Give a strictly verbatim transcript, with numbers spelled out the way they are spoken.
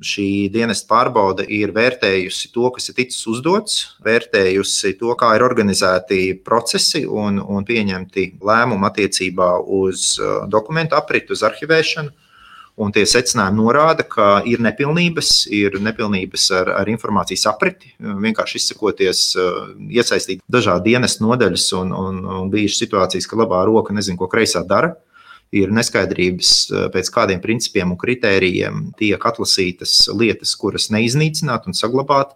Šī dienesta pārbaude ir vērtējusi to, kas ir ticis uzdots, vērtējusi to, kā ir organizēti procesi un, un pieņemti lēmumi attiecībā uz dokumentu apritu, uz arhivēšanu. Un tie secinājumi norāda, ka ir nepilnības, ir nepilnības ar, ar informācijas apriti. Vienkārši izsakoties, iesaistīt dažādi dienesta nodaļas un, un, un bijušas situācijas, ka labā roka nezin, ko kreisā dara. Ir neskaidrības, pēc kādiem principiem un kritērijiem tiek atlasītas lietas, kuras neiznīcināt un saglabāt.